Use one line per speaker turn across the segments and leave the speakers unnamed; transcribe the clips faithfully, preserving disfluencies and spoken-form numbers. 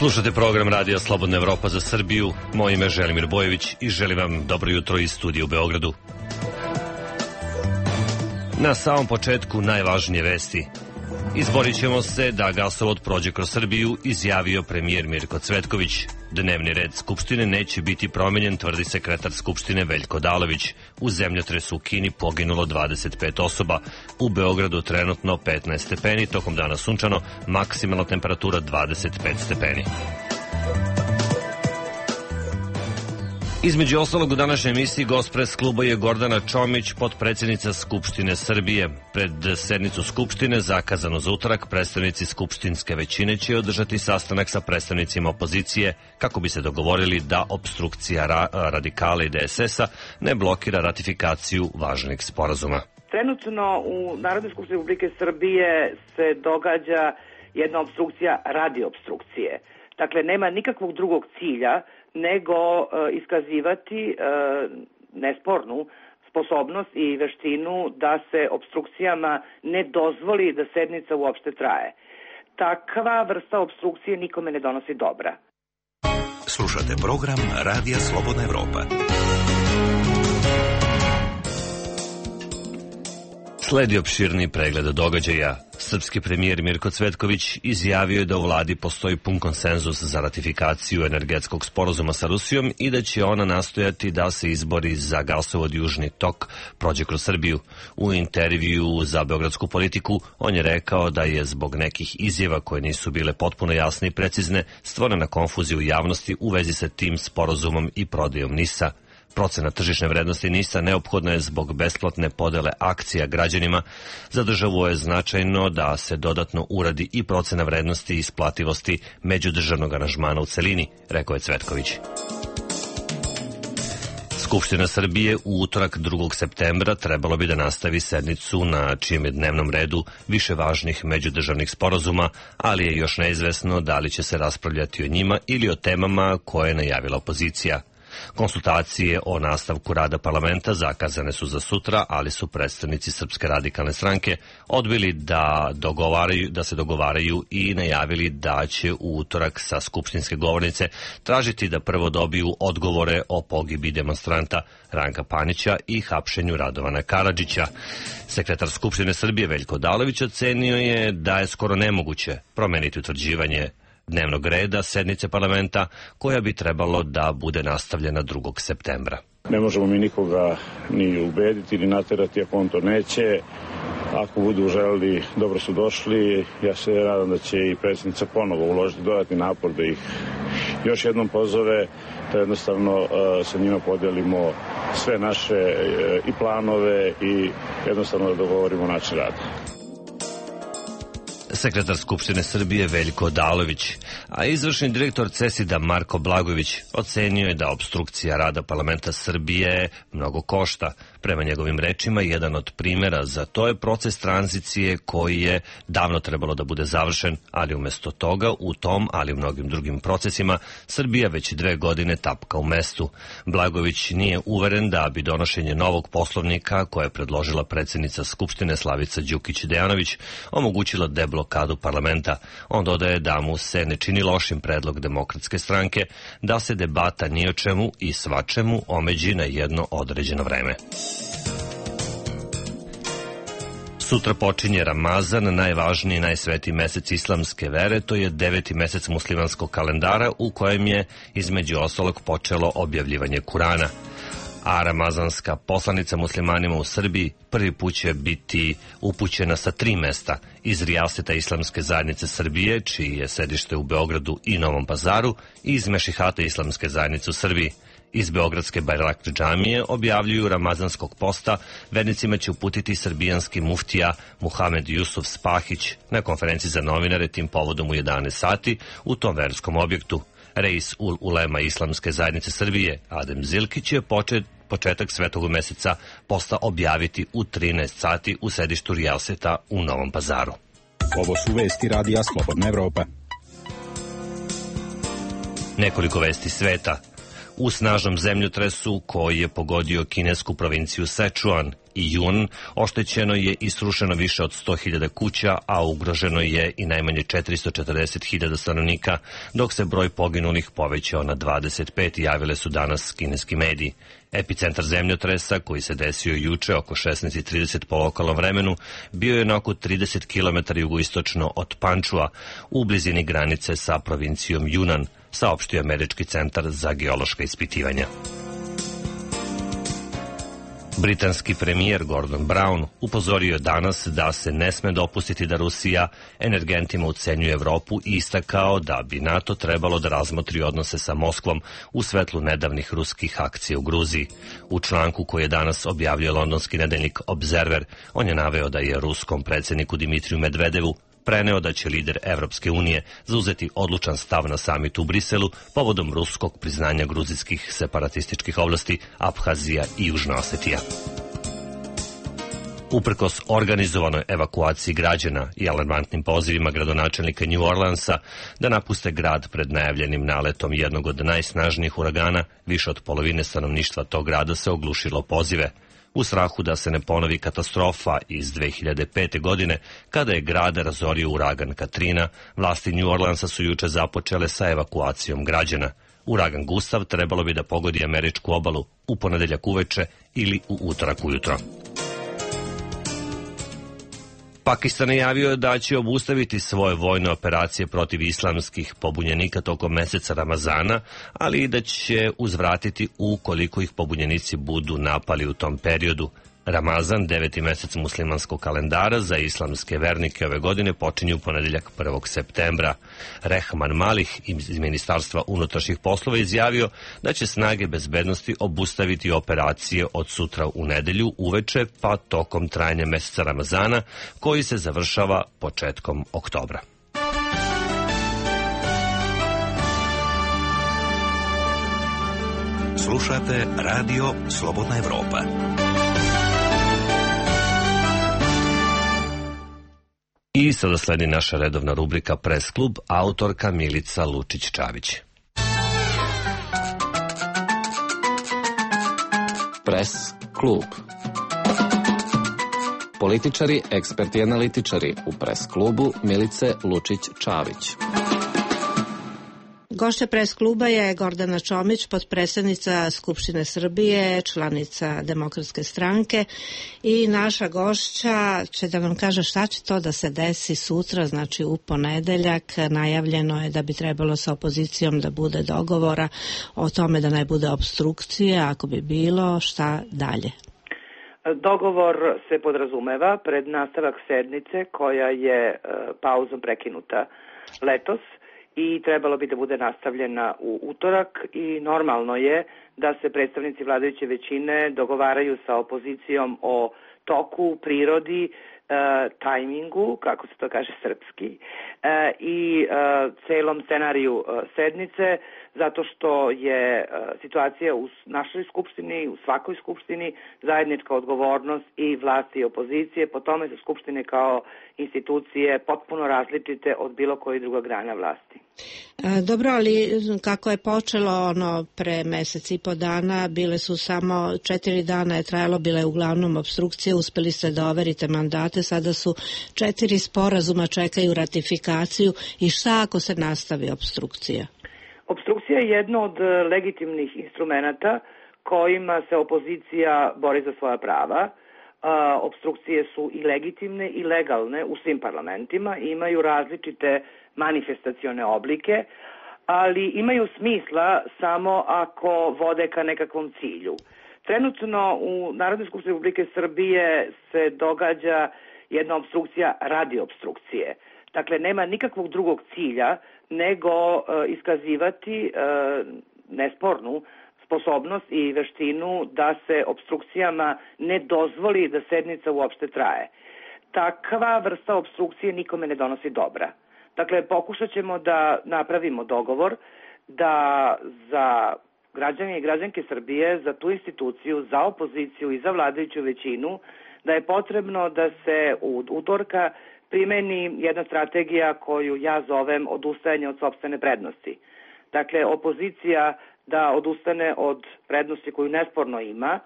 Slušate program Radija Slobodna Evropa za Srbiju. Moje ime je Želimir Bojević i želim vam dobro jutro iz studija u Beogradu. Na samom početku najvažnije vesti. Izborit ćemo se da gasovod prođe kroz Srbiju, izjavio premijer Mirko Cvetković. Dnevni red Skupštine neće biti promenjen, tvrdi sekretar Skupštine Veljko Odalović. U zemljotresu u Kini poginulo dvadeset pet osoba. U Beogradu trenutno petnaest stepeni, tokom dana sunčano, maksimalna temperatura dvadeset pet stepeni. Između ostalog u današnjoj emisiji gost pres kluba je Gordana Čomić, potpredsjednica Skupštine Srbije. Pred sednicu Skupštine, zakazano za utorak, predstavnici skupštinske većine će održati sastanak sa predstavnicima opozicije kako bi se dogovorili da opstrukcija ra radikala i D S S-a ne blokira ratifikaciju važnih sporazuma.
Trenutno u Narodnoj skupštini Republike Srbije se događa jedna opstrukcija radi opstrukcije. Dakle, nema nikakvog drugog cilja nego e, iskazivati e, nespornu sposobnost i veštinu da se opstrukcijama ne dozvoli da sednica uopšte traje. Takva vrsta opstrukcije nikome ne donosi dobra.
Slušate program Radija Slobodna Evropa.
Sledi opširni pregled događaja. Srpski premijer Mirko Cvetković izjavio je da u vladi postoji pun konsenzus za ratifikaciju energetskog sporazuma sa Rusijom i da će ona nastojati da se izbori za gasovod Južni tok prođe kroz Srbiju. U intervju za Beogradsku politiku on je rekao da je zbog nekih izjava koje nisu bile potpuno jasne i precizne stvorena konfuzija u javnosti u vezi sa tim sporazumom i prodajom NIS-a. Procena tržišne vrednosti NIS-a neophodna je zbog besplatne podele akcija građanima. Za državu je značajno da se dodatno uradi i procena vrednosti i isplativosti međudržavnog aranžmana u celini, rekao je Cvetković. Skupština Srbije u utorak drugog septembra trebalo bi da nastavi sednicu na čijem je dnevnom redu više važnih međudržavnih sporazuma, ali je još neizvesno da li će se raspravljati o njima ili o temama koje je najavila opozicija. Konsultacije o nastavku rada parlamenta zakazane su za sutra, ali su predstavnici Srpske radikalne stranke odbili da, dogovaraju, da se dogovaraju i najavili da će u utorak sa skupštinske govornice tražiti da prvo dobiju odgovore o pogibi demonstranta Ranka Panića i hapšenju Radovana Karadžića. Sekretar Skupštine Srbije Veljko Odalović ocenio je da je skoro nemoguće promeniti utvrđivanje dnevnog reda sednice parlamenta koja bi trebalo da bude nastavljena drugog septembra.
Ne možemo mi nikoga ni ubediti ni naterati ako on to neće. Ako budu želeli, dobro su došli. Ja se nadam da će i predsjednica ponovo uložiti dodatni napor da ih još jednom pozove, da jednostavno uh, sa njima podelimo sve naše uh, i planove i jednostavno da dogovorimo način rada.
Sekretar Skupštine Srbije Veljko Odalović, a izvršni direktor CESID-a Marko Blagojević ocenio je da opstrukcija rada parlamenta Srbije mnogo košta. Prema njegovim rečima, jedan od primjera za to je proces tranzicije koji je davno trebalo da bude završen, ali umjesto toga u tom, ali i u mnogim drugim procesima, Srbija već dve godine tapka u mestu. Blagojević nije uveren da bi donošenje novog poslovnika koje je predložila predsjednica Skupštine Slavica Đukić Dejanović omogućilo deblokadu parlamenta. On dodaje da mu se ne čini lošim predlog Demokratske stranke da se debata ni o čemu i svačemu omeđi na jedno određeno vreme. Sutra počinje Ramazan, najvažniji i najsvetiji mesec islamske vere, to je deveti mesec muslimanskog kalendara u kojem je između ostalog počelo objavljivanje Kurana. A ramazanska poslanica muslimanima u Srbiji prvi put će biti upućena sa tri mesta: iz Rijaseta Islamske zajednice Srbije, čiji je sedište u Beogradu i Novom Pazaru, i iz Mešihata Islamske zajednice u Srbiji. Iz Beogradske Bajrakli džamije objavljuju ramazanskog posta vernicima će uputiti srbijanski muftija Muhamed Jusuf Spahić na konferenciji za novinare tim povodom u jedanaest sati u tom verskom objektu. Reis ul ulema Islamske zajednice Srbije Adem Zilkić je počet, početak svetog meseca posta objaviti u trinaest sati u sedištu Rijaseta u Novom Pazaru.
Ovo su vesti Radija Slobodna Evropa.
Nekoliko vesti sveta. U snažnom zemljotresu koji je pogodio kinesku provinciju Sečuan, i jun oštećeno je i srušeno više od sto hiljada kuća, a ugroženo je i najmanje četiristo četrdeset hiljada stanovnika, dok se broj poginulih povećao na dvadeset pet, javile su danas kineski mediji. Epicentar zemljotresa, koji se desio juče oko šesnaest i trideset po lokalnom vremenu, bio je na oko trideset kilometara jugoistočno od Pančua, u blizini granice sa provincijom Junan, saopštio Američki centar za geološka ispitivanja. Britanski premijer Gordon Brown upozorio je danas da se ne sme dopustiti da Rusija energentima ucenjuje Evropu i istakao da bi NATO trebalo da razmotri odnose sa Moskvom u svetlu nedavnih ruskih akcija u Gruziji. U članku koji je danas objavio londonski nedeljnik Observer, on je naveo da je ruskom predsjedniku Dimitriju Medvedevu preneo da će lider Evropske unije zauzeti odlučan stav na samitu u Briselu povodom ruskog priznanja gruzijskih separatističkih oblasti Abhazija i Južna Osetija. Uprkos organizovanoj evakuaciji građana i alarmantnim pozivima gradonačelnika New Orleansa da napuste grad pred najavljenim naletom jednog od najsnažnijih uragana, više od polovine stanovništva tog grada se oglušilo pozive. U strahu da se ne ponovi katastrofa iz dve hiljade pete. godine, kada je grad razorio uragan Katrina, vlasti New Orleansa su juče započele sa evakuacijom građana. Uragan Gustav trebalo bi da pogodi američku obalu u ponedeljak uveče ili u utorak ujutro. Pakistan je javio da će obustaviti svoje vojne operacije protiv islamskih pobunjenika tokom meseca Ramazana, ali i da će uzvratiti ukoliko ih pobunjenici budu napali u tom periodu. Ramazan, deveti mesec muslimanskog kalendara, za islamske vernike ove godine počinje u ponedeljak prvog septembra. Rehman Malih iz Ministarstva unutrašnjih poslova izjavio da će snage bezbednosti obustaviti operacije od sutra u nedelju uveče pa tokom trajanja meseca Ramazana, koji se završava početkom oktobra.
Slušate Radio Slobodna Evropa.
I sada sledi naša redovna rubrika Press klub, autorka Milica Lučić-Čavić.
Press klub. Političari, eksperti i analitičari u Press klubu Milice Lučić-Čavić.
Gošća Press kluba je Gordana Čomić, potpredsednica Skupštine Srbije, članica Demokratske stranke, i naša gošća će da vam kaže šta će to da se desi sutra, znači u ponedeljak. Najavljeno je da bi trebalo sa opozicijom da bude dogovora o tome da ne bude opstrukcije, ako bi bilo, šta dalje?
Dogovor se podrazumeva pred nastavak sednice koja je pauzom prekinuta letos i trebalo bi da bude nastavljena u utorak, i normalno je da se predstavnici vladajuće većine dogovaraju sa opozicijom o toku, prirodi, e, tajmingu, kako se to kaže srpski, e, i e, celom scenariju e, sednice, zato što je e, situacija u našoj skupštini, u svakoj skupštini, zajednička odgovornost i vlasti i opozicije. Po tome su skupštine kao institucije potpuno različite od bilo koje druga grana vlasti.
E, dobro, ali kako je počelo ono pre mesec i po dana, bile su samo četiri dana je trajalo, bile je uglavnom obstrukcije, uspeli ste da overite mandate, sada su četiri sporazuma, čekaju ratifikaciju, i šta ako se nastavi obstrukcija?
Obstrukcija je jedno od legitimnih instrumenata kojima se opozicija bori za svoja prava. Uh, obstrukcije su i legitimne i legalne u svim parlamentima i imaju različite manifestacione oblike, ali imaju smisla samo ako vode ka nekakvom cilju. Trenutno u Narodnoj skupštini Republike Srbije se događa jedna obstrukcija radi obstrukcije. Dakle, nema nikakvog drugog cilja nego uh, iskazivati uh, nespornu sposobnost i veštinu da se obstrukcijama ne dozvoli da sednica uopšte traje. Takva vrsta obstrukcije nikome ne donosi dobra. Dakle, pokušat ćemo da napravimo dogovor da za građane i građanke Srbije, za tu instituciju, za opoziciju i za vladajuću većinu, da je potrebno da se u utorka primeni jedna strategija koju ja zovem odustajanje od sopstvene prednosti. Dakle, opozicija da odustane od prednosti koju nesporno ima,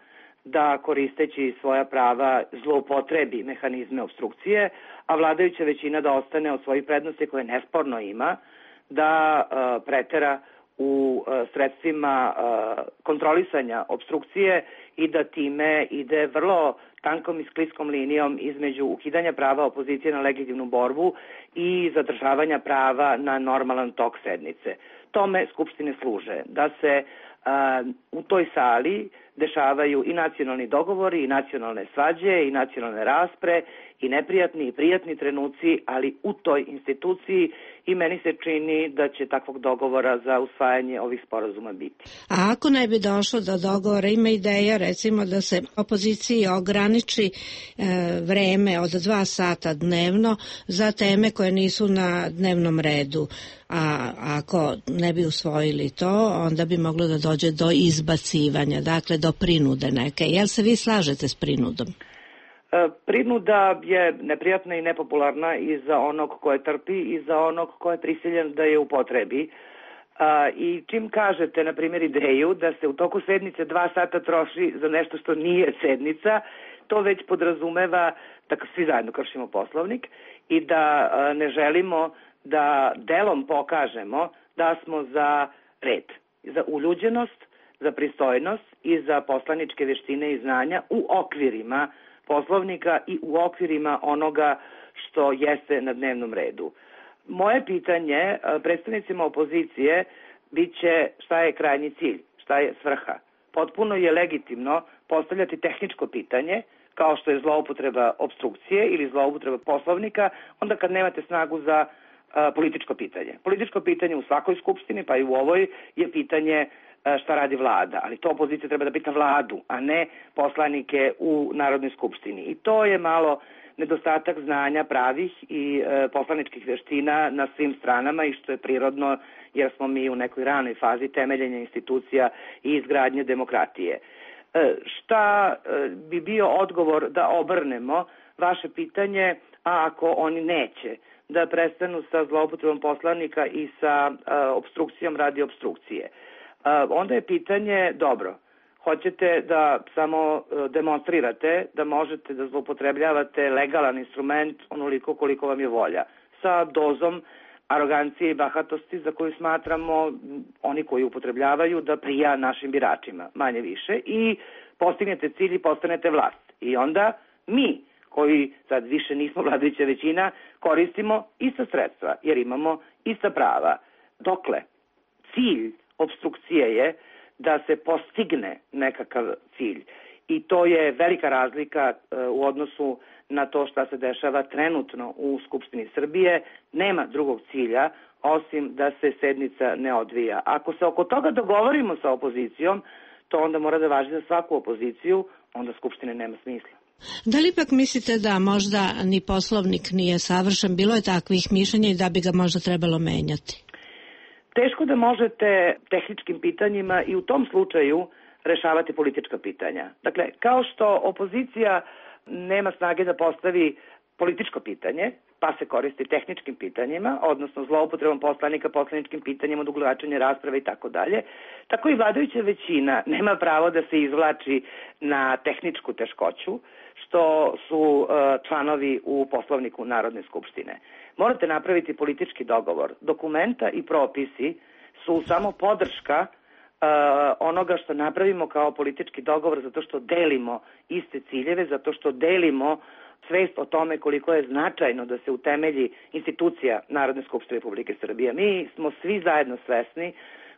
da koristeći svoja prava zloupotrebi mehanizme obstrukcije, a vladajuća većina da ostane od svojih prednosti koje nesporno ima, da uh, pretera u uh, sredstvima uh, kontrolisanja obstrukcije i da time ide vrlo tankom i skliskom linijom između ukidanja prava opozicije na legitimnu borbu i zadržavanja prava na normalan tok sednice. Tome Skupštine služe, da se uh, u toj sali dešavaju i nacionalni dogovori, i nacionalne svađe, i nacionalne raspre, i neprijatni i prijatni trenuci, ali u toj instituciji, i meni se čini da će takvog dogovora za usvajanje ovih sporazuma biti.
A ako ne bi došlo do dogovora, ima ideja recimo da se opoziciji ograniči e, vreme od dva sata dnevno za teme koje nisu na dnevnom redu. A ako ne bi usvojili to, onda bi moglo da dođe do izbacivanja, dakle do prinude neke. Jel se vi slažete s prinudom?
Prinuda je neprijatna i nepopularna i za onog ko je trpi i za onog ko je prisiljen da je upotrebi. I čim kažete, na primjer, ideju da se u toku sednice dva sata troši za nešto što nije sednica, to već podrazumeva da svi zajedno kršimo Poslovnik i da ne želimo da delom pokažemo da smo za red, za uljuđenost, za pristojnost i za poslaničke veštine i znanja u okvirima Poslovnika i u okvirima onoga što jeste na dnevnom redu. Moje pitanje predstavnicima opozicije biće šta je krajnji cilj, šta je svrha. Potpuno je legitimno postavljati tehničko pitanje, kao što je zloupotreba obstrukcije ili zloupotreba Poslovnika, onda kad nemate snagu za a, političko pitanje. Političko pitanje u svakoj skupštini, pa i u ovoj, je pitanje šta radi vlada, ali to opozicija treba da pita vladu, a ne poslanike u Narodnoj skupštini. I to je malo nedostatak znanja pravih i e, poslaničkih veština na svim stranama i što je prirodno jer smo mi u nekoj ranoj fazi temeljenja institucija i izgradnje demokratije. E, šta e, bi bio odgovor da obrnemo vaše pitanje, a ako oni neće da prestanu sa zloupotrebom poslanika i sa e, obstrukcijom radi obstrukcije? Onda je pitanje, dobro, hoćete da samo demonstrirate da možete da zloupotrebljavate legalan instrument onoliko koliko vam je volja, sa dozom arogancije i bahatosti za koju smatramo oni koji upotrebljavaju da prija našim biračima, manje više, i postignete cilj i postanete vlast. I onda mi, koji sad više nismo vladajuća većina, koristimo ista sredstva jer imamo ista prava. Dokle? Cilj obstrukcije je da se postigne nekakav cilj. I to je velika razlika u odnosu na to šta se dešava trenutno u Skupštini Srbije. Nema drugog cilja osim da se sednica ne odvija. Ako se oko toga dogovorimo sa opozicijom, to onda mora da važi za svaku opoziciju, onda Skupštine nema smisla.
Da li ipak mislite da možda ni Poslovnik nije savršen? Bilo je takvih mišljenja i da bi ga možda trebalo menjati?
Teško da možete tehničkim pitanjima i u tom slučaju rešavati politička pitanja. Dakle, kao što opozicija nema snage da postavi političko pitanje, pa se koristi tehničkim pitanjima, odnosno zloupotrebom poslanika poslaničkim pitanjima, odugovlačenje rasprave i tako dalje, tako i vladajuća većina nema pravo da se izvlači na tehničku teškoću, što su uh, članovi u Poslovniku Narodne skupštine. Morate napraviti politički dogovor. Dokumenta i propisi su samo podrška uh, onoga što napravimo kao politički dogovor, zato što delimo iste ciljeve, zato što delimo svest o tome koliko je značajno da se utemelji institucija Narodne skupštine Republike Srbije. Mi smo svi zajedno svesni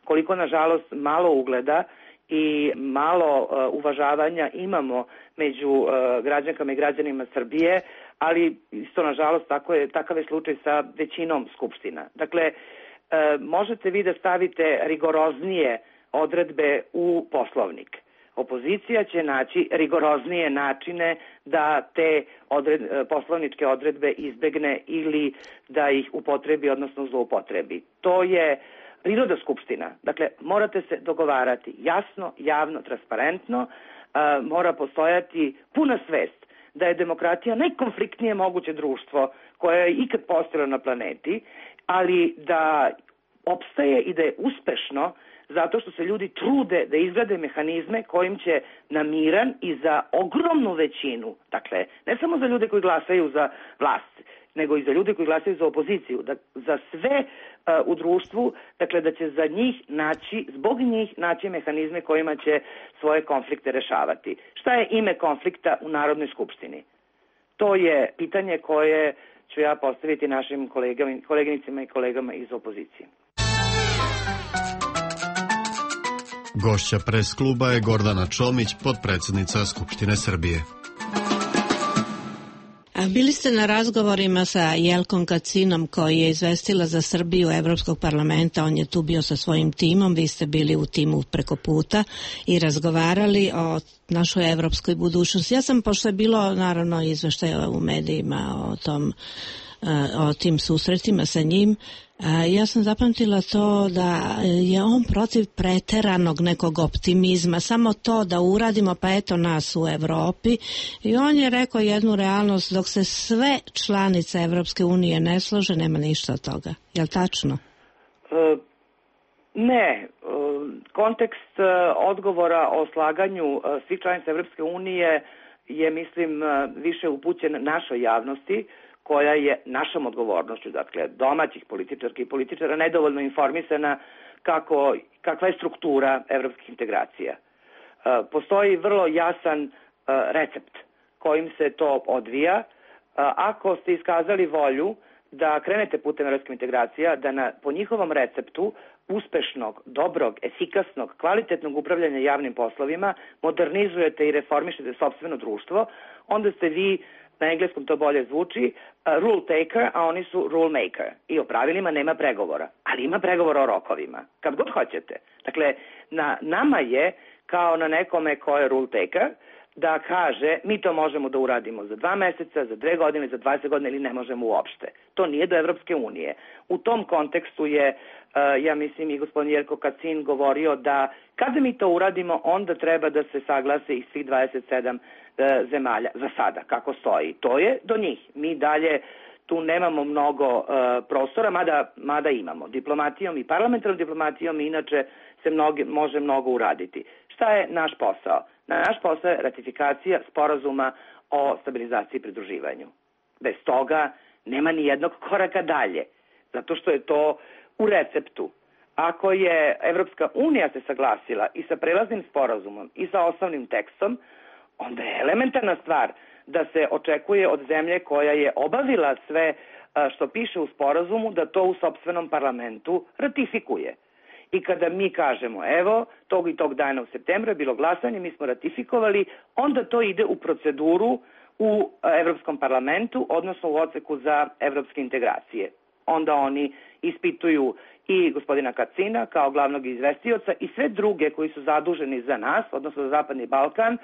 koliko, nažalost, malo ugleda i malo uh, uvažavanja imamo među uh, građankama i građanima Srbije, ali isto, nažalost, tako je, takav je slučaj sa većinom skupština. Dakle, uh, možete vi da stavite rigoroznije odredbe u Poslovnik. Opozicija će naći rigoroznije načine da te odred, poslovničke odredbe izbegne ili da ih upotrebi, odnosno zloupotrebi. To je priroda skupština. Dakle, morate se dogovarati jasno, javno, transparentno, uh, mora postojati puna svest da je demokratija najkonfliktnije moguće društvo koje je ikad postojalo na planeti, ali da opstaje i da je uspešno zato što se ljudi trude da izgrade mehanizme kojim će na miran i za ogromnu većinu, dakle, ne samo za ljude koji glasaju za vlast, nego i za ljude koji glasaju za opoziciju, da, za sve uh, u društvu, dakle da će za njih naći, zbog njih naći mehanizme kojima će svoje konflikte rešavati. Šta je ime konflikta u Narodnoj skupštini? To je pitanje koje ću ja postaviti našim kolegama, koleginicima i kolegama iz opozicije.
Gošća pres kluba je Gordana Čomić, potpredsjednica Skupštine Srbije.
Bili ste na razgovorima sa Jelkom Kacinom koji je izvestila za Srbiju Evropskog parlamenta, on je tu bio sa svojim timom, vi ste bili u timu preko puta i razgovarali o našoj evropskoj budućnosti. Ja sam, pošto je bilo naravno izveštaja u medijima o tom, o tim susretima sa njim, ja sam zapamtila to da je on protiv preteranog nekog optimizma, samo to da uradimo pa eto nas u Evropi, i on je rekao jednu realnost, dok se sve članice Evropske unije ne slože, nema ništa od toga. Je li tačno?
E, ne. Kontekst odgovora o slaganju svih članica Evropske unije je, mislim, više upućen našoj javnosti, koja je našom odgovornošću, dakle domaćih političarki i političara, nedovoljno informisana kako, kakva je struktura evropskih integracija. E, postoji vrlo jasan e, recept kojim se to odvija. E, ako ste iskazali volju da krenete putem evropskih integracija, da na, po njihovom receptu uspešnog, dobrog, efikasnog, kvalitetnog upravljanja javnim poslovima modernizujete i reformišete sopstveno društvo, onda ste vi, na engleskom to bolje zvuči, uh, rule taker, a oni su rule maker. I o pravilima nema pregovora, ali ima pregovora o rokovima, kad god hoćete. Dakle, na nama je, kao na nekome ko je rule taker, da kaže mi to možemo da uradimo za dva meseca, za dve godine, za dvadeset godina ili ne možemo uopšte. To nije do Evropske unije. U tom kontekstu je, uh, ja mislim, i gospodin Jelko Kacin govorio da kada mi to uradimo, onda treba da se saglase i svih dvadeset sedam uh, zemalja za sada, kako stoji. To je do njih. Mi dalje tu nemamo mnogo uh, prostora, mada, mada imamo. Diplomatijom i parlamentarnom diplomatijom inače se mnogi, može mnogo uraditi. Šta je naš posao? Naš posao je ratifikacija sporazuma o stabilizaciji i pridruživanju. Bez toga nema ni jednog koraka dalje, zato što je to u receptu. Ako je Evropska unija se saglasila i sa prelaznim sporazumom i sa osnovnim tekstom, onda je elementarna stvar da se očekuje od zemlje koja je obavila sve što piše u sporazumu da to u sopstvenom parlamentu ratifikuje. I kada mi kažemo, evo, tog i tog dana u septembru je bilo glasanje, mi smo ratifikovali, onda to ide u proceduru u Evropskom parlamentu, odnosno u odseku za evropske integracije. Onda oni ispituju i gospodina Kacina kao glavnog izvestioca i sve druge koji su zaduženi za nas, odnosno za Zapadni Balkan,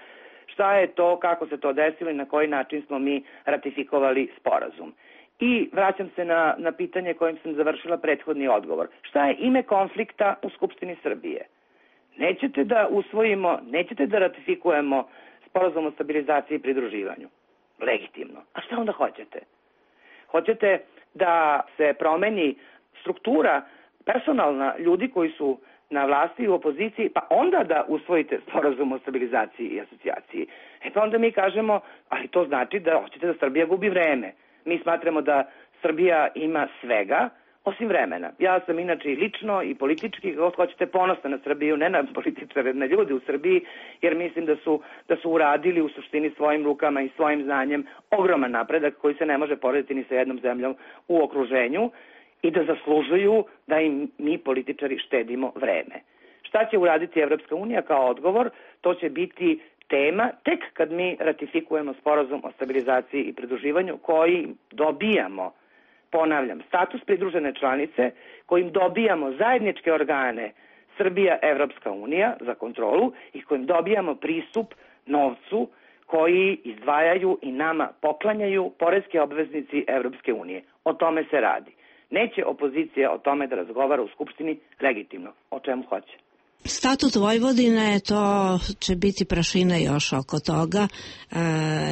šta je to, kako se to desilo i na koji način smo mi ratifikovali sporazum. I vraćam se na, na pitanje kojim sam završila prethodni odgovor. Šta je ime konflikta u Skupštini Srbije? Nećete da usvojimo, nećete da ratifikujemo sporazum o stabilizaciji i pridruživanju. Legitimno. A šta onda hoćete? Hoćete da se promeni struktura personalna ljudi koji su na vlasti i u opoziciji, pa onda da usvojite sporazum o stabilizaciji i asocijaciji. E pa onda mi kažemo, ali to znači da hoćete da Srbija gubi vreme. Mi smatramo da Srbija ima svega, osim vremena. Ja sam inače i lično i politički, kako hoćete, ponosna na Srbiju, ne na političare, na ljudi u Srbiji, jer mislim da su, da su uradili u suštini svojim rukama i svojim znanjem ogroman napredak koji se ne može porediti ni sa jednom zemljom u okruženju i da zaslužuju da im mi političari štedimo vreme. Šta će uraditi Evropska unija kao odgovor? To će biti tema tek kad mi ratifikujemo sporazum o stabilizaciji i pridruživanju koji dobijamo, ponavljam, status pridružene članice, kojim dobijamo zajedničke organe Srbija, Evropska unija za kontrolu i kojim dobijamo pristup novcu koji izdvajaju i nama poklanjaju poreske obveznici Evropske unije. O tome se radi. Neće opozicija o tome da razgovara u Skupštini legitimno. O čemu hoće?
Statut Vojvodine, to će biti prašina još oko toga.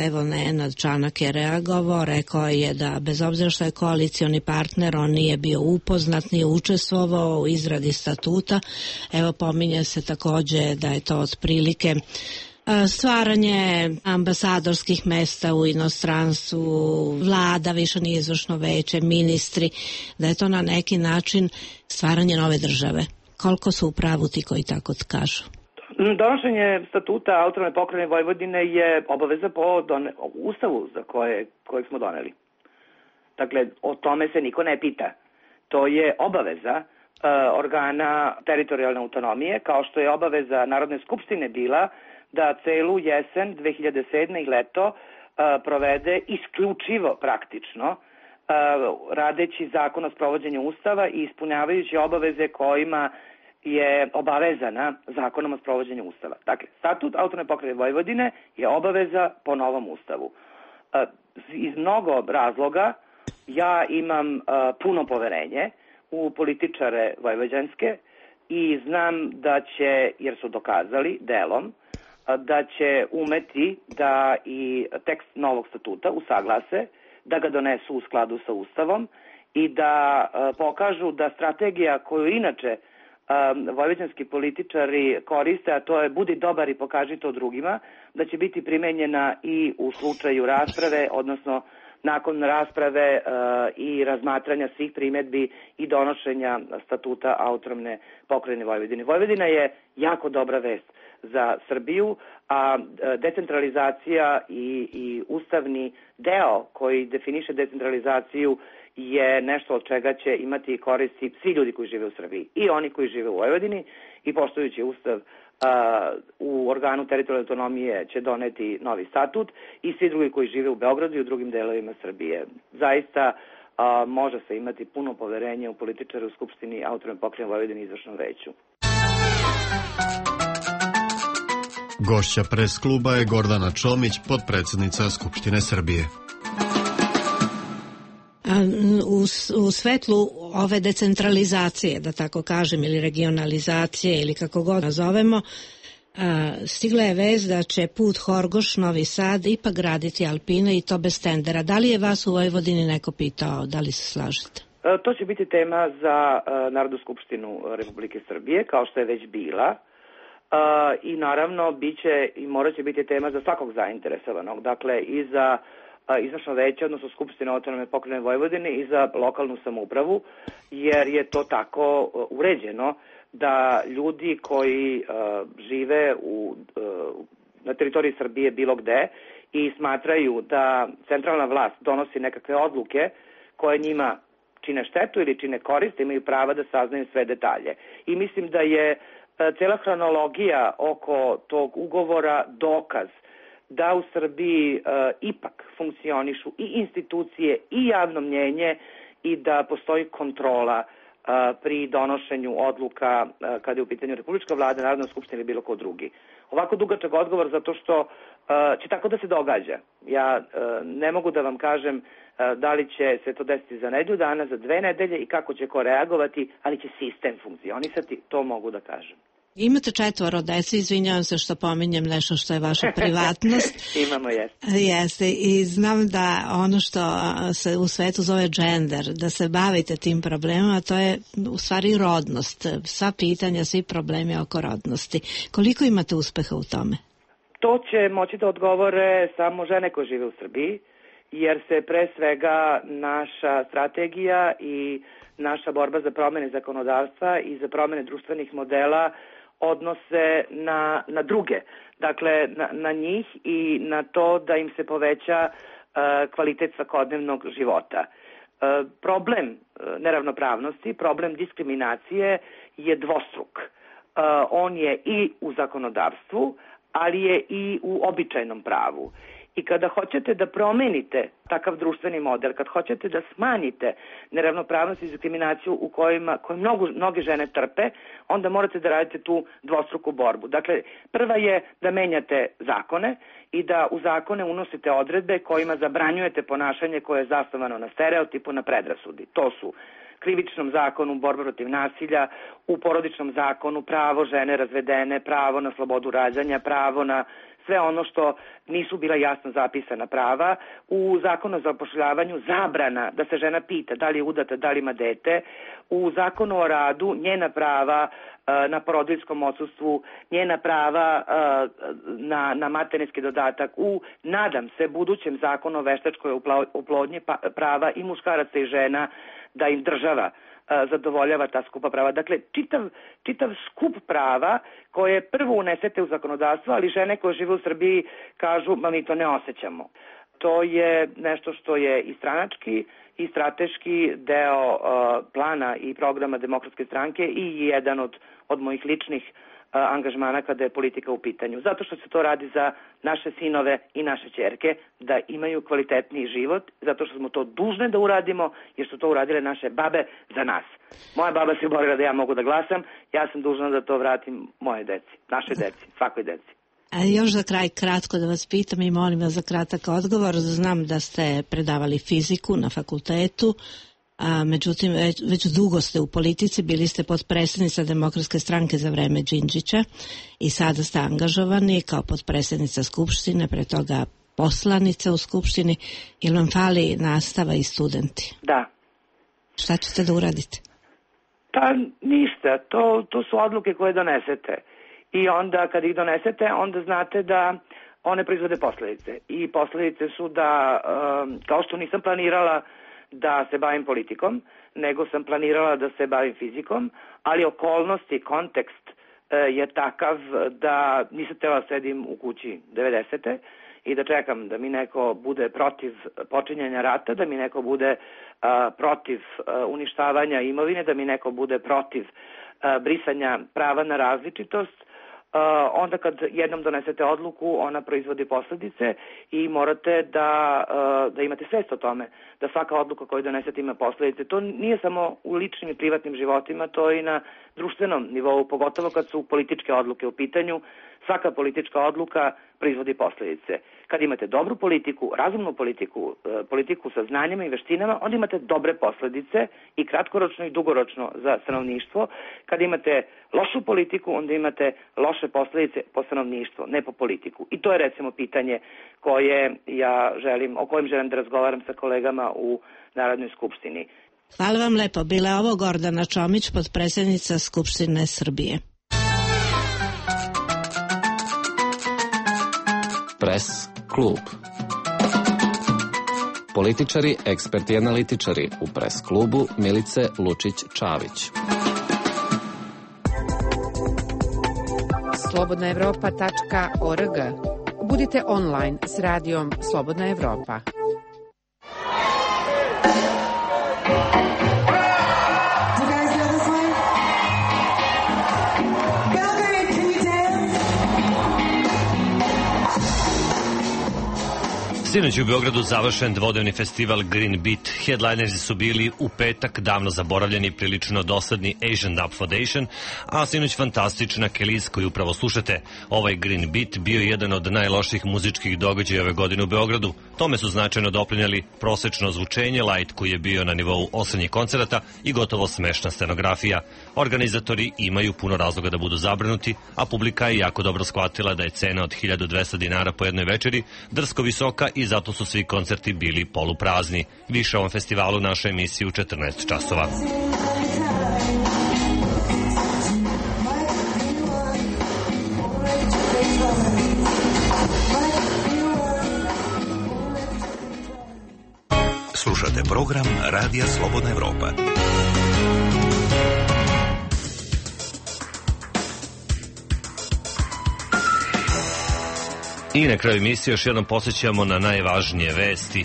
Evo, Nenad Čanak je reagovao, rekao je da bez obzira što je koalicioni partner, on nije bio upoznat, nije učestvovao u izradi statuta. Evo, pominje se takođe da je to otprilike stvaranje ambasadorskih mesta u inostranstvu, vlada, više nije izvršno veće, ministri, da je to na neki način stvaranje nove države. Koliko su u pravu ti koji tako kažu?
Donošenje statuta autonomne pokrajine Vojvodine je obaveza po don... ustavu za koje, kojeg smo doneli. Dakle, o tome se niko ne pita. To je obaveza uh, organa teritorijalne autonomije, kao što je obaveza Narodne skupštine bila da celu jesen dve hiljade sedme i leto uh, provede isključivo praktično uh, radeći zakon o sprovođenju ustava i ispunjavajući obaveze kojima je obavezana zakonom o sprovođenju ustava. Dakle, statut autonomne pokrajine Vojvodine je obaveza po novom ustavu. Uh, iz mnogo razloga ja imam uh, puno poverenje u političare vojvođanske i znam da će, jer su dokazali delom, da će umeti da i tekst novog statuta usaglase, da ga donesu u skladu sa Ustavom i da uh, pokažu da strategija koju inače uh, vojvođanski političari koriste, a to je budi dobar i pokaži to drugima, da će biti primenjena i u slučaju rasprave, odnosno nakon rasprave uh, i razmatranja svih primedbi i donošenja statuta autonomne pokrajine Vojvodine. Vojvodina je jako dobra vest za Srbiju, a decentralizacija i, i ustavni deo koji definiše decentralizaciju je nešto od čega će imati koristi svi ljudi koji žive u Srbiji. I oni koji žive u Vojvodini i poštujući ustav a, u organu teritorijalne autonomije će doneti novi statut i svi drugi koji žive u Beogradu i u drugim delovima Srbije. Zaista a, može se imati puno poverenje u političare u Skupštini autonomne pokrajine Vojvodine i izvršnom veću.
Gošća pres kluba je Gordana Čomić, potpredsednica Skupštine Srbije.
U, u svetlu ove decentralizacije, da tako kažem, ili regionalizacije, ili kako god nazovemo, stigla je vest da će put Horgoš-Novi Sad ipak graditi Alpine i to bez tendera. Da li je vas u Vojvodini neko pitao, da li se slažete?
To će biti tema za Narodnu skupštinu Republike Srbije, kao što je već bila. Uh, i naravno biće i morat će biti tema za svakog zainteresovanog, dakle i za uh, izvršno veće, odnosno Skupštine autonomne pokrajine Vojvodine i za lokalnu samoupravu, jer je to tako uh, uređeno da ljudi koji uh, žive u, uh, na teritoriji Srbije bilo gde i smatraju da centralna vlast donosi nekakve odluke koje njima čine štetu ili čine korist, imaju prava da saznaju sve detalje. I mislim da je cela hronologija oko tog ugovora dokaz da u Srbiji uh, ipak funkcionišu i institucije i javno mnjenje i da postoji kontrola uh, pri donošenju odluka uh, kada je u pitanju Republička vlada, Narodna skupština ili bilo ko drugi. Ovako dugačak odgovor zato što uh, će tako da se događa. Ja uh, ne mogu da vam kažem uh, da li će se to desiti za nedelju dana, za dve nedelje i kako će ko reagovati, ali će sistem funkcionisati, to mogu da kažem.
Imate četvoro dece, izvinjavam se što pominjem nešto što je vaša privatnost.
Imamo, jeste.
Jeste, i znam da ono što se u svetu zove gender, da se bavite tim problemima, to je u stvari rodnost. Sva pitanja, svi problemi oko rodnosti. Koliko imate uspeha u tome?
To će moći da odgovore samo žene koje žive u Srbiji, jer se pre svega naša strategija i naša borba za promene zakonodavstva i za promene društvenih modela odnose na, na druge. Dakle, na, na njih i na to da im se poveća uh, kvalitet svakodnevnog života. Uh, problem uh, neravnopravnosti, problem diskriminacije je dvostruk. Uh, on je i u zakonodavstvu, ali je i u običajnom pravu. I kada hoćete da promenite takav društveni model, kad hoćete da smanjite neravnopravnost i diskriminaciju u kojima, koje mnogo, mnoge žene trpe, onda morate da radite tu dvostruku borbu. Dakle, prva je da menjate zakone i da u zakone unosite odredbe kojima zabranjujete ponašanje koje je zasnovano na stereotipu, na predrasudi. To su krivičnom zakonu borba protiv nasilja, u porodičnom zakonu pravo žene razvedene, pravo na slobodu rađanja, pravo na sve ono što nisu bila jasno zapisana prava, u zakonu o zapošljavanju zabrana da se žena pita da li je udata, da li ima dete, u zakonu o radu njena prava na porodiljskom odsustvu, njena prava na, na materinski dodatak, u, nadam se, budućem zakonu o veštačkoj oplodnji prava i muškaraca i žena da im država zadovoljava ta skupa prava. Dakle, čitav, čitav skup prava koje prvo unesete u zakonodavstvo, ali žene koje žive u Srbiji kažu, ma mi to ne osjećamo. To je nešto što je i stranački i strateški deo uh, plana i programa Demokratske stranke i jedan od, od mojih ličnih uh, angažmana kada je politika u pitanju. Zato što se to radi za naše sinove i naše ćerke, da imaju kvalitetniji život, zato što smo to dužne da uradimo, jer su to uradile naše babe za nas. Moja baba se borila da ja mogu da glasam, ja sam dužna da to vratim moje deci, naše deci, svakoj deci.
A još za kraj kratko da vas pitam i molim vas za kratak odgovor. Znam da ste predavali fiziku na fakultetu, a međutim već, već dugo ste u politici, bili ste potpredsjednica Demokratske stranke za vreme Đinđića i sada ste angažovani kao potpredsjednica Skupštine, pre toga poslanica u Skupštini. Ili vam fali nastava i studenti?
Da.
Šta ćete da uradite?
Pa ništa, to, to su odluke koje donesete. I onda kad ih donesete, onda znate da one proizvode posledice. I posledice su da, kao što nisam planirala da se bavim politikom, nego sam planirala da se bavim fizikom, ali okolnosti, kontekst je takav da nisam htjela da sedim u kući devedesete i da čekam da mi neko bude protiv počinjanja rata, da mi neko bude protiv uništavanja imovine, da mi neko bude protiv brisanja prava na različitost. Uh, onda kad jednom donesete odluku, ona proizvodi posledice i morate da, uh, da imate svest o tome, da svaka odluka koju donesete ima posledice. To nije samo u ličnim i privatnim životima, to je i na društvenom nivou, pogotovo kad su političke odluke u pitanju. Svaka politička odluka proizvodi posledice. Kad imate dobru politiku, razumnu politiku, politiku sa znanjima i veštinama, onda imate dobre posledice i kratkoročno i dugoročno za stanovništvo. Kad imate lošu politiku, onda imate loše posledice po stanovništvo, ne po politiku. I to je recimo pitanje koje ja želim, o kojem želim da razgovaram sa kolegama u Narodnoj skupštini.
Hvala vam lepo. Bila je ovo Gordana Čomić, potpredsjednica Skupštine Srbije.
Pres klub. Političari, eksperti i analitičari u Pres klubu Milice Lučić-Čavić.
slobodna evropa tačka org. Budite online s radijom Slobodna Evropa.
Sinoć u Beogradu završen dvodnevni festival Green Beat. Headlinersi su bili u petak davno zaboravljeni prilično dosadni Asian Dub Foundation, a sinoć fantastična Kelis koju upravo slušate. Ovaj Green Beat bio je jedan od najloših muzičkih događaja ove godine u Beogradu. Tome su značajno doprinjali prosečno zvučenje, light koji je bio na nivou osrednjih koncerata i gotovo smešna scenografija. Organizatori imaju puno razloga da budu zabrinuti, a publika je jako dobro shvatila da je cena od hiljadu dvesta dinara po jednoj večeri drsko visoka i zato su svi koncerti bili poluprazni. Više o ovom festivalu naša emisija u četrnaest časova.
Slušate program Radija Slobodna Evropa.
I na kraju emisije još jednom posjećamo na najvažnije vesti.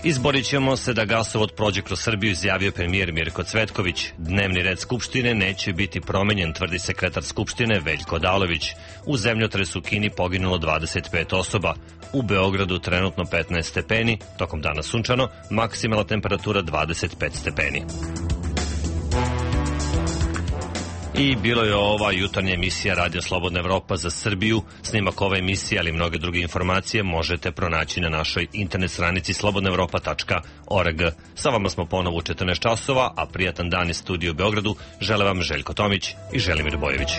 Izborit ćemo se da gasovod prođe kroz Srbiju, izjavio premijer Mirko Cvetković. Dnevni red Skupštine neće biti promenjen, tvrdi sekretar Skupštine Veljko Odalović. U zemljotresu u Kini poginulo dvadeset pet osoba. U Beogradu trenutno petnaest stepeni, tokom dana sunčano, maksimalna temperatura dvadeset pet stepeni. I bilo je ova jutarnja emisija Radio Slobodna Evropa za Srbiju. Snimak ove emisije, ali i mnoge druge informacije možete pronaći na našoj internet stranici slobodna evropa tačka org. Sa vama smo ponovo u četrnaest časova, a prijatan dan iz studija u Beogradu žele vam Željko Tomić i Želimir Bojević.